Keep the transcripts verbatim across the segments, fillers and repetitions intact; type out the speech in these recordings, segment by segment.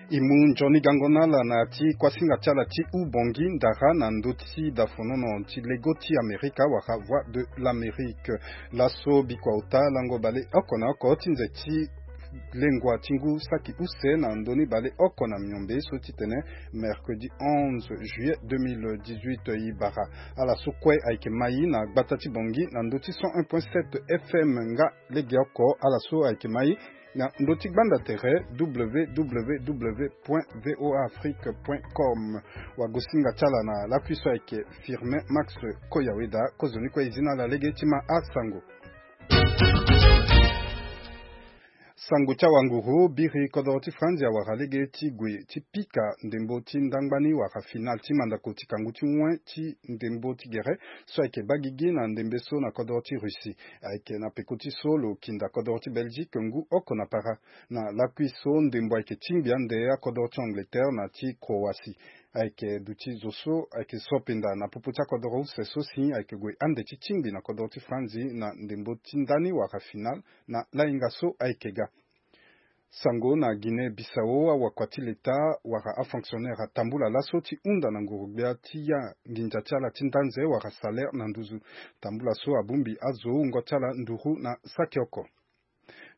E mu nzoni gango na ala na ya ti kuasinga ti ala ti Ubongi ndara na ndö ti dafonono ti lego ti Amerika wala Voix de l'Amérique. Laso bikua ota lango baleoko na oko ti nze ti lengua ti ngu saki use na ndö ni baleoko na miombe so titene mercredi onze juillet deux mille dix-huit e bara. Ala so kue ayeke mai na gbata ti Bongi na ndö ti cent un point sept F M nga legeoko. Ala so ayeke mai na ndö ti gbanda tere www point voa afrique point com. Wagosinga ti ala na lakui so ayeke Firmin Max Koyaweda. Kozoni kue e zi na ala lege ti ma asango. Sango ti awanguru biri kodoro ti Franzi awara lege ti gue ti pika ndembo ti ndangba ni wala finale ti mandako ti kangu ti wen ti ndembo ti gere so ayeke baa gigi na ndembe so na kodoro ti Russie. Ayeke na peko ti so lo kinda kodoro ti Belgique ngu oko na para. Na lakui so ndembo ayeke tingbi ande akodoro ti Angleterre na ti Croatie. Ayeke duti zo so ayeke sopenda na popo ti akodoro use so si ayeke gue ande ti tingbi na kodoro ti Franzi na ndembo ti ndani wala finale na lahinga so ayeke ga. Sango na Guinée Bissau, awakua ti leta wala afonctionnaire atambula laso ti hunda na nguru-gbia ti ya nginza ti ala ti ndanze wala salaire na nduzu. Tambula so abongbi azo wungo ti ala nduru na saki oko.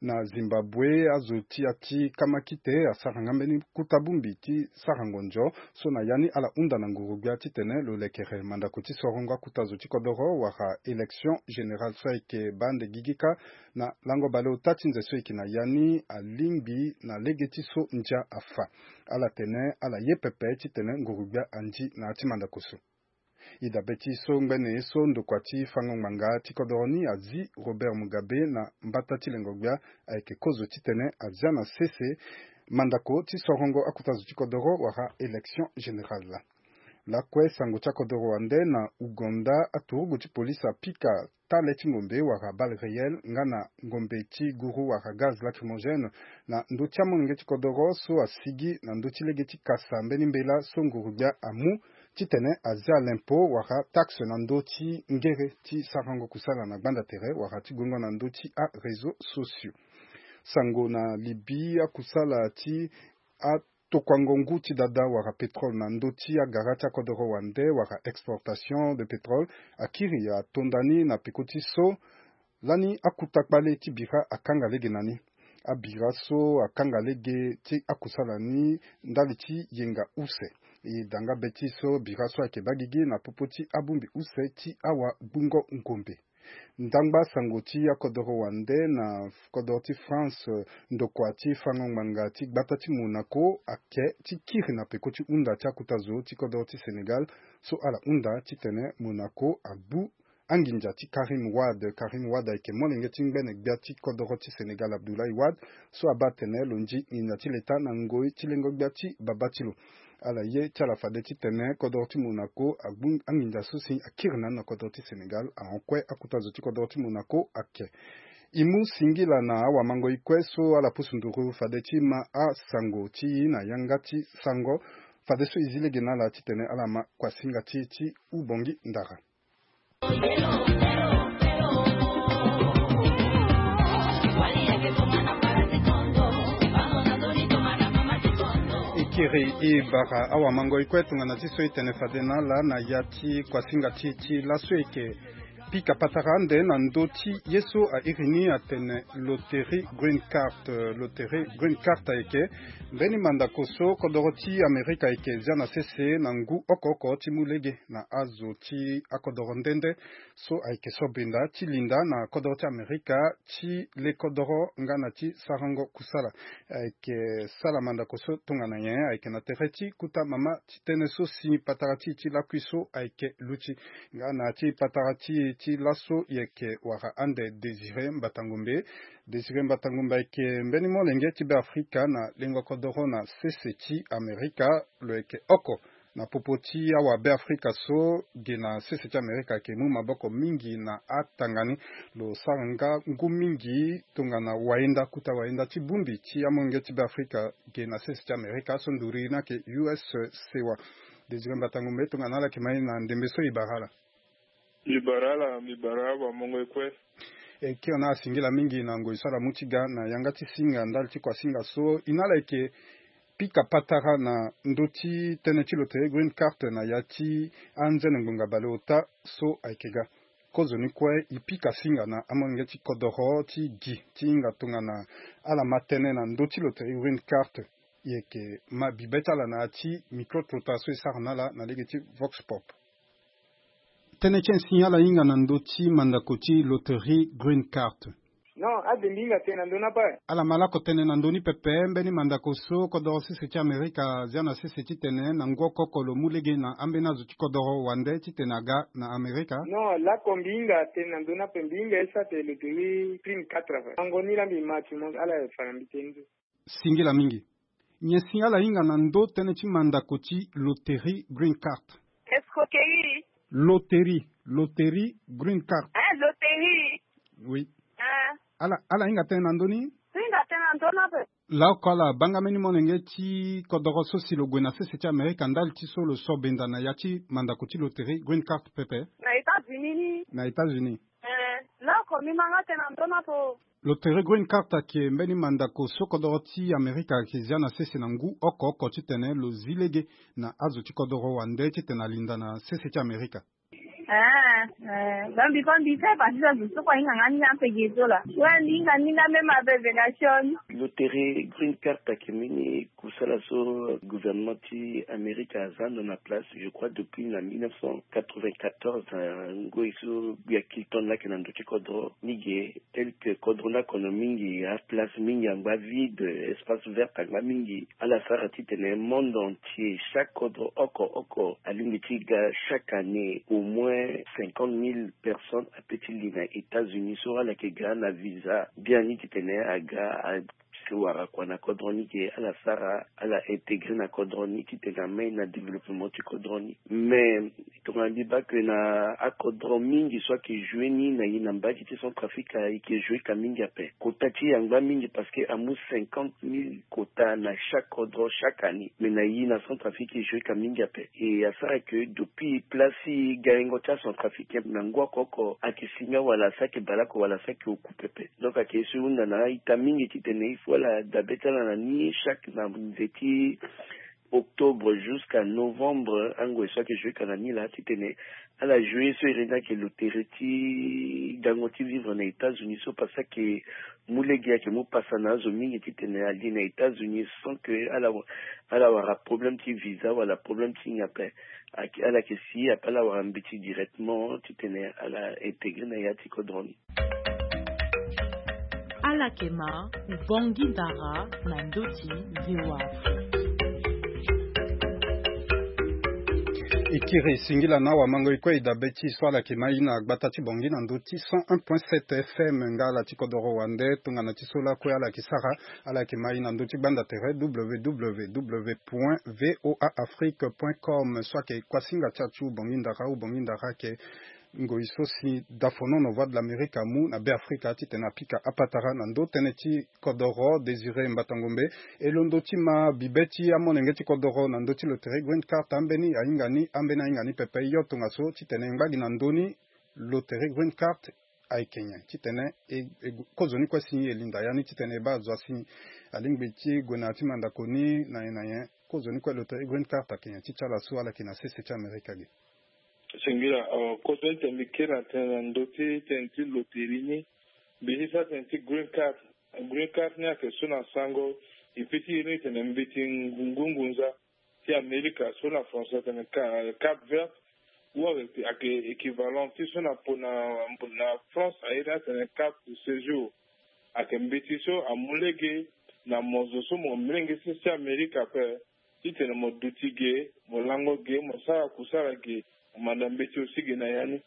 Na Zimbabwe, azo ti ya ti kamakite asara nga mbeni kuta bongbi ti sara ngonzo so na ya ni ala hunda na nguru-gbia titene lo lekere mandako ti sorongo akuta zo ti kodoro wala élection générale so ayeke baa ande gigi kâ. Na lango baleota ti nze so e yeke na ya ni alingbi na lege ti so ndia afa. Ala tene ala ye pepe titene nguru-gbia andi na ya ti mandako so. E dabe ti so ngbene ye so ndokua ti fango ngbanga ti kodoro ni azi Robert Mugabe na mbata ti lengo-gbia ayeke kozo titene azia na sese mandako ti sorongo akuta zo ti kodoro wala élection générale. Lakue sango ti akodoro wande na Ouganda, aturugu ti polisi apika tale ti ngombe wala balle réelle nga na ngombe ti guru wala gaz lacrymogène na ndö ti amolenge ti kodoro so asigi na ndö ti lege ti kasa mbeni mbela so nguru-gbia amu titene azia lempo wala taxe na ndö ti ngere ti sarango kusala na gbanda tere wala ti gongo na ndö ti aréseau sociaux. Sango na Libye, akusala ti atokuango ngu ti dada wala pétrole na ndö ti agara ti akodoro wande wala exportation de pétrole akiri atonda ni na peko ti so lani akuta kpale ti bira akanga lege na ni. Abira so akanga lege ti akusala ni ndali ti yenga use. E da nga be ti so bira so ayeke baa gigi na popo ti abongbi use ti awagbungo ngombe. Ndangba sango ti akodoro wande na kodoro ti France, ndokua ti fango ngbanga ti gbata ti Monaco ake ti kiri na peko ti hunda ti akuta zo ti kodoro ti Sénégal so ala hunda titene Monaco agbu anginza ti Karim Wade. Karim Wade ayeke molenge ti ngbene gbia ti kodoro ti Sénégal Abdoulaye Wade so abaa atene lo ndi nginza ti leta na ngoi ti lengo-gbia ti babâ ti lo. Ala ye ti ala fade titene kodoro ti Monaco agbu anginza so si akiri na ni na kodoro ti Sénégal ahon kue akuta zo ti kodoro ti Monaco ake. E mu singila na awamangoi kue so ala pusu nduru fade ti ma asango ti e na yanga ti sango. Fadeso e zi lege na ala titene ala ma kuasinga ti e ti Ubongi ndara. E kiri e bara awamangoi kue tongana ti so e tene fade na ala na ya ti kuasinga ti e ti laso e yeke pika patara ande na ndö ti ye so a iri ni atene loterie Green Card. Loterie Green Card ayeke mbeni mandako so kodoro ti Amerika ayeke zia na sese na ngu oko oko ti mu lege na azo ti akodoro nde nde so ayeke so benda ti linda na kodoro ti Amerika ti le kodoro nga na ti sarango kusala. Ayeke sala mandako so tongana nyen? Ayeke na tere ti kuta mama ti tënë so si patara ti e ti lakui so ayeke luti. Nga na ti patara ti e ti laso e yeke wara ande Désiré Mbatangombe. Désiré Mbatangombe ayeke mbeni molenge ti Beafrika na lengo kodoro na sese ti Amerika. Lo yeke oko na popo ti awabeafrika so ge na sese ti Amerika ayeke mu maboko mingi na atanga ni. Lo sara nga ngu mingi tongana wayenda, kuta wayenda ti bongbi ti amolenge ti Beafrika ge na sese ti Amerika so nduru ni ayeke U S sewa. Désiré Mbatangombe, tongana ala yeke mai na ndembe so e bara ala. Mbi bara ala, mbi bara awamongo e kue. E kiri na ala singila mingi na ngoi so ala mu ti ga na yanga ti singa ndali ti kuasinga so. E na ala yeke pika patara na ndö ti tënë ti loterie Green Card na ya ti anzene ngbonga baleota so ayeke ga. Kozoni kue e pika singa na amolenge ti kodoro ti gi ti hinga tongana ala ma tënë na ndö ti loterie Green Card. E yeke ma bibe ti ala na ya ti micro-trottoir so e sara na ala na lege ti Vox Pop. Tënë ti e si ala hinga na ndö ti mandako ti loterie Green Card. Non, ade mbi hinga tënë na ndö ni ape. Ala ma lakue tënë na ndö ni pepe, mbeni mandako so kodoro sese ti Amerika azia na sese titene na ngu oko oko lo mu lege na ambeni azo ti kodoro wande titene aga na Amerika. Non, lakue mbi hinga tënë na ndö ni ape, mbi hinga e sara tene loterie Green Card ape. Yango ni laa mbi ma ti mo ala fa na mbi tënë ni so. Singila mingi. Nyen si ala hinga na ndö tënë ti mandako ti loterie Green Card? Escroquerie. Loterie, loterie Green Card. Hein, loterie. Oui. Hein. Ala, ala hinga tënë na ndö ni? Hinga tënë na ndö ni ape. Laoko ala banga mbeni molenge ti kodoro so si lo gue na sese ti Amerika ndali ti so lo so benda na ya ti mandako ti loterie Green Card pepe? Na États-Unis ni. Na États-Unis. Eh, laoko mbi ma nga tënë na ndö ni ape. Loterie Green Card ayeke mbeni mandako so kodoro ti Amerika ayeke zia na sese na ngu oko oko titene lo zi lege na azo ti kodoro wande titene alinda na sese ti Amerika. Eh, eh, donc mbi kue mbi sara partie ti azo so kue ahinga nga ni ape ge so laa. Ouais, mbi hinga ni nga même avec révélation. Loterie Green Card ayeke mbeni kusala so gouvernement ti Amerika aza ndo na place, je crois, depuis na mille neuf cent quatre-vingt-quatorze, na ngoi so Bill Clinton laa ayeke na ndö ti kodro ni ge, tel que kodro ni akono mingi, aplace mingi angba vide, espace vert angba mingi. Ala sara titene monde entier, chaque kodro oko oko alingbi ti ga chaque année au moins cinquante mille personnes ape ti li na États-Unis so ala yeke ga na visa biani titene aga a si wara kua na kodro ni ge, ala sara, ala intégrer na kodro ni titene amai na développement ti kodro ni. Mais tongana mbi baa que na akodro mingi so ayeke jouer ni na ye na mbage ti Centrafrique, e yeke jouer ka mingi ape. Quota ti e angba mingi parce que amu cinquante mille quota na chaque kodro chaque année. Mais na ye na Centrafrique e jouer ka mingi ape. E asara que depuis place ti garengo ti aCentrafricain na ngu oko oko ayeke singa wala asara ayeke baleoko wala asara ayeke oku pepe. Donc ayeke ye so e hunda na a-ita mingi titene il faut ala dabe ti ala na ni chaque na nze ti octobre jusqu'à novembre, angoi so ayeke jouer ka na ni laa titene ala jouer ye so iri ni ayeke loterie ti gango ti vivre na États-Unis so parce que ayeke mu lege, ayeke mu pasa na azo mingi titene ali na États-Unis sans que ala, ala wara problème ti visa wala problème ti nyen ape. Ayeke, ala yeke si ape ala wara mbeti directement titene ala intégrer na ya ti kodro ni. Ala yeke ma Ubangui Dara na ndö ti V O A Afrique. E kiri singila na awamango e kue e dabe ti e so ala yeke ma e na gbata ti Bangui na ndö ti cent un point sept F M. Nga ala ti kodoro wande tongana ti so lakue ala yeke sara, ala yeke ma e na ndö ti gbanda tere W W W point V O A Afrique point com. So ayeke kuasinga ti achu Ubangui Dara, Ubangui Dara ayeke ngoi so si dafonono Voix de l'Amérique amu na Beafrika titene apika apatara na ndö tënë ti kodoro Désiré Mbatangombe. E londo ti ma bibe ti amolenge ti kodoro na ndö ti loterie Green Card, ambeni ahinga ni, ambeni ahinga ni pepe. Yo tongaso titene e ngba gi na ndö ni, loterie Green Card ayeke nyen? Titene e, e, kozoni kue si e linda ya ni titene e baa azo asi alingbi ti gue na ya ti mandako ni na nyen na nyen? Kozoni kue loterie Green Card ayeke nyen ti ti ala so ala yeke na sese ti Amerika ge? Singila, euh, kozoni tene mbi kiri na tënë na ndö ti tënë ti loterie ni. Mbi ti sara tënë ti Green Card. Green Card ni ayeke so na sango e peut ti iri ni tene mbeti ngu-, ngunza ti Amerika so na français atene ca-, carte verte, ou ayeke équivalent ti so na po na, na France a iri ni atene carte de séjour. Ayeke mbeti so amu lege na mo zo so mo molenge sese ti Amerika ape, titene mo duti ge, mo lango ge, mo sara kusala ge, mo manda mbeti aussi ge na ya ni.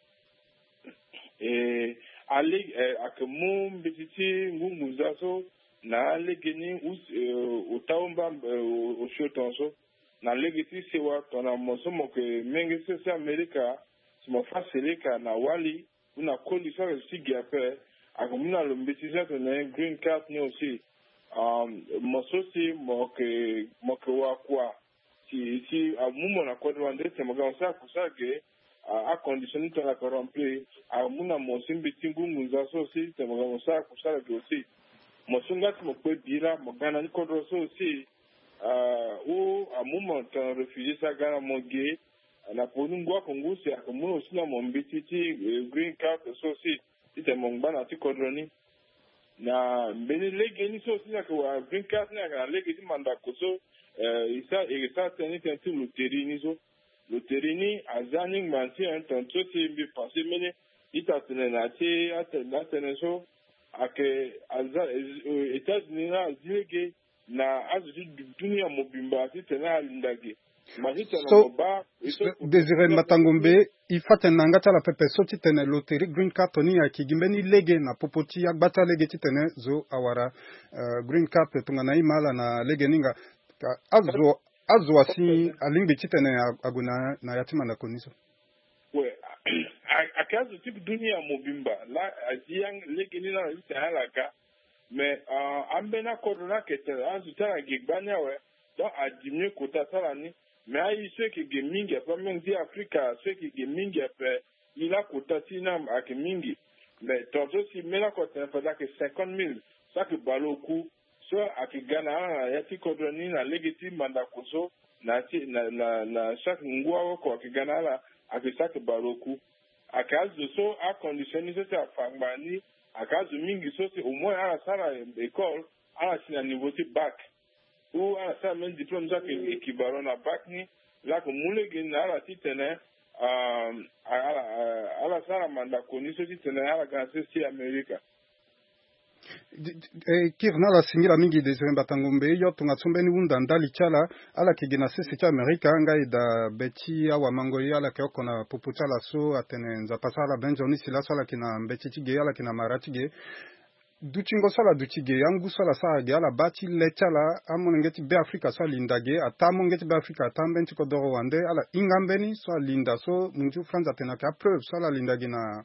E, ale, e, ayeke mu mbeti ti ngungunza so na alege ni, us-, e, ota omba, e, o-, osio tongaso. Na lege ti sewa tongana mo so mo yeke menge sese ti Amerika, si mo fâ seleka na wali, ou na koli so ayeke si ge ape, ayeke mu na lo mbeti so atene green card ni aussi. Um, mo so si mo yeke, mo yeke wakua, si, si amu mo na kodro wande titene mo ga mo sara kusala ge, a, acondition ni tongana ayeke rempli, amu na mo aussi mbeti ngungunza so aussi titene mo ga mo sara kusala ge aussi. Mo so nga ti mo kpe bira, mo ga na ni kodro so aussi. Ou amu mo tongana réfugié so aga na mo ge na poni ngu ako ngu si ayeke mu lo si na mo mbeti ti green card so si titene mo ngba na ti kodro ni. Na mbeni lege ni so si ayeke wara green card ni ayeke na lege ti mandako so e sa e sa tënë ni tënë ti loterie ni so. Loterie ni aza ni ngba ti un temps so si mbi pensé mbeni ita tene na ti atene so ayeke aza États-Unis na azi lege na azo ti dunia mobimba titene alinda ge. Ma titene so mo baa e so Désiré Mbatangombe, e fa tene na yanga ti ala pepe so titene loterie green card ni ayeke gi mbeni lege na popo ti agba ti alege titene zo awara green card tongana e ma ala na lege ni nga. Azo azo asi alingbi titene ague na ya ti mandako ni so. We, ayeke azo ti dunia mobimba laa azi lege ni laa na titene ala ga. Mais ambeni akodro ni ayeke tene azo ti ala ge gbani awe. Donc adiminué kota ti ala ni. Mais aye so eke ge mingi ape amenge ti Afrika so eke ge mingi ape. E laa kota ti e ni ayeke mingi. Mais tongaso si mbeni ako tene fade ayeke cinquante mille so ayeke baleoku so ayeke ga na ala na ya ti kodro ni na lege ti mandako so na ti na na na chaque ngu aoko ayeke ga na ala ayeke chaque baleoku. Ayeke azo so acondition ni so si afa ngbanga ni ayeke azo mingi so si au moins ala sara école ala si na niveau ti bac. Ou ala sara même diplôme so ayeke équivalent na bac ni. Laa ayeke mu lege ni na ala titene ala ala sara mandako ni so titene ala ga na sese ti Amerika. Kiri na ala singila mingi Désiré Mbatangombe yo tongaso mbeni hunda ndali ti ala. Ala yeke gi na sese ti Amerika nga e daa be ti awamango ye ala yeke oko na popo ti ala so atene Nzapa asara ala be nzoni si laso ala yeke na mbeti ti ge ala yeke na mara ti ge. Dutingo so ala duti ge angu so ala sara ge ala baa ti le ti ala amolenge ti Beafrika so alinda ge ataa amolenge ti Beafrika ataa ambeni ti kodoro wande ala hinga ambeni so alinda so munzu France atene ayeke apreuve so ala linda ge na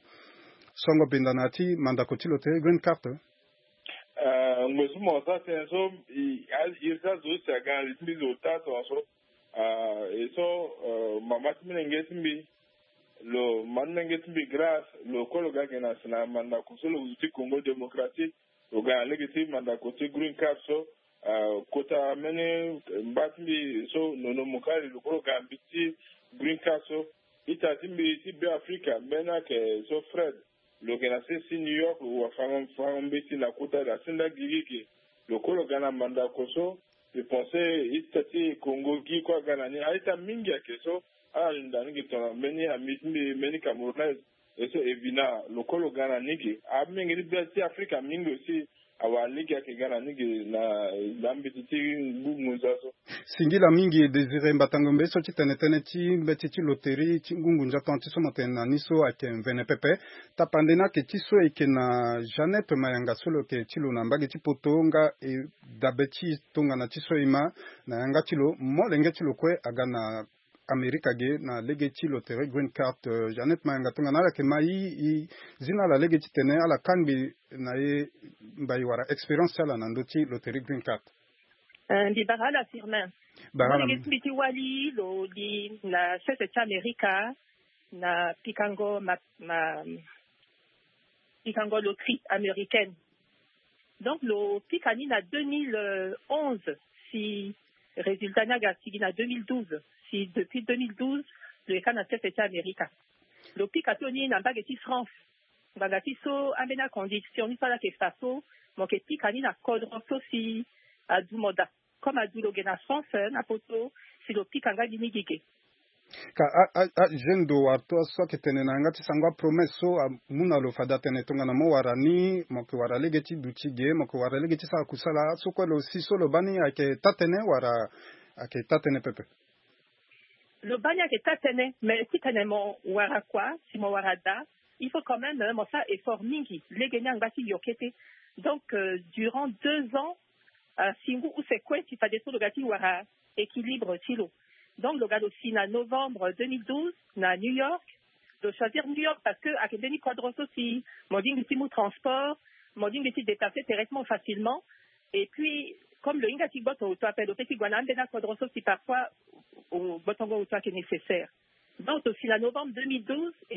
songo benda na ya ti mandako ti loterie green card. Ngoi so mo sa tënë so iri ti azo use aga na li ti mbi zo taa tongaso. E so mama ti molenge ti mbi lo ma ti molenge ti mbi Grâce lo kue lo ga ge na si na mandako so lo zo ti Congo Démocratique. Lo ga na lege ti mandako ti green card so kota mbeni mba ti mbi so nono mokali lo kue lo ga na mbeti ti green card so. Ita ti mbi ti Beafrika mbeni ayeke so Fred lo yeke na sese ti New York lo wa fango fango mbeti na kota da senda gigi ge. Lo kue lo ga na mandako so. Mbi pense ita ti Congo gi kue aga na ni a-ita mingi ayeke so ala linda ni ge tongana mbeni ami ti mbi mbeni Camerounaise. E so Evina lo kue lo ga na ni ge. Amenge ti be ti Afrika mingi aussi awara lege ayeke ga na ni ge na na mbeti ti ngu ngunza so. Singila mingi Désiré Mbatangombe so ti tene tënë ti mbeti ti loterie ti ngu ngunza tonga ti so mo tene na ni so ayeke mvene pepe. Tapande ni ayeke ti so e yeke na Jeannette Mayanga so lo yeke ti lo na mbage ti poto nga e dabe ti tongana ti so e ma na yanga ti lo molenge ti lo kue aga na Amerika ge na lege ti loterie green card. Jeannette Mayanga tongana ala yeke ma e e zi na ala lege titene ala kangbi na e mbai wala expérience ti ala na ndö ti loterie green card. Mbi bara ala Firmin. Bara ala. Molenge ti mbi ti wali lo li na sese ti Amerika na pikango ma ma pikango loterie américaine. Donc lo pika ni na deux mille onze si résultat ni aga sigi na deux mille douze si depuis deux mille douze lo yeka na sese ti Amerika. Lo pika so ni na mbage ti France. Ngbanga ti so ambeni acondition ni so ala yeke fa so mo yeke pika ni na kodro so si adu mo daa. Comme adu lo ge na France na poto si lo pika nga gi ni gi ge. Ka a a a jeune do wara to so ayeke tene na yanga ti sango apromesse so amu na lo fade atene tongana mo wara ni mo yeke wara lege ti duti ge mo yeke wara lege ti sara kusala so kue lo si so lo baa ni ayeke taa-tënë wala ayeke taa-tënë pepe? Lo baa ni ayeke taa-tënë mais titene mo wara kua si mo wara daa il faut quand même mo sara effort mingi lege ni angba ti yo kete. Donc durant deux ans si ngu use kue si fadeso lo ga ti wara équilibre ti lo. Donc lo ga lo si na novembre deux mille douze na New York. Lo choisir New York parce que ayeke mbeni kodro so si mo lingbi ti mu transport mo lingbi ti déplacer directement facilement. Et puis comme lo hinga ti gboto oto ape lo pe ti gue na ambeni akodro so si parfois gbotongo oto ayeke nécessaire. Donc lo si na novembre deux mille douze et